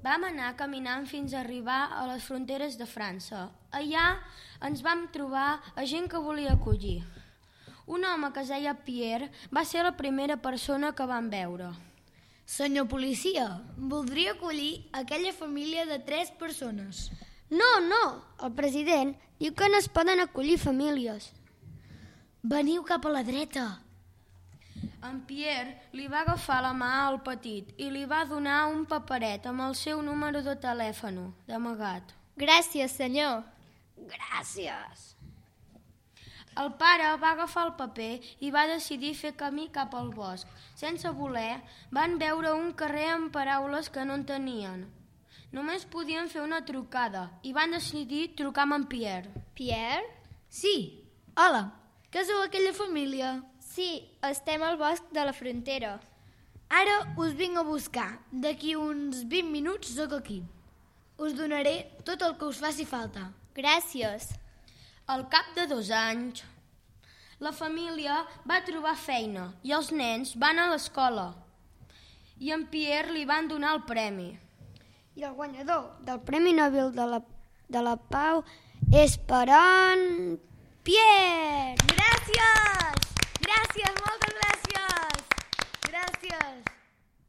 Vam anar caminant fins a arribar a les fronteres de França. Allà ens vam trobar a gent que volia acollir. Un home que es deia Pierre va ser la primera persona que vam veure. Senyor policia, voldria acollir aquella família de 3 persones. No, el president diu que no es poden acollir famílies. Veniu cap a la dreta. En Pierre li va agafar la mà al petit i li va donar un paperet amb el seu número de telèfon d'amagat. Gràcies, senyor. Gràcies. El pare va agafar el paper i va decidir fer camí cap al bosc. Sense voler, van veure un carrer amb paraules que no entenien. Només podien fer una trucada i van decidir trucar amb en Pierre. Pierre? Sí, hola, que sou aquella família? Sí, estem al bosc de la frontera. Ara us vinc a buscar. D'aquí uns 20 minuts sóc aquí. Us donaré tot el que us faci falta. Gràcies. Al cap de 2 anys, la família va trobar feina i els nens van a l'escola. I en Pierre li van donar el premi. I el guanyador del Premi Nobel de la Pau és per en Pierre. Gràcies! Gràcies, moltes gràcies! Gràcies!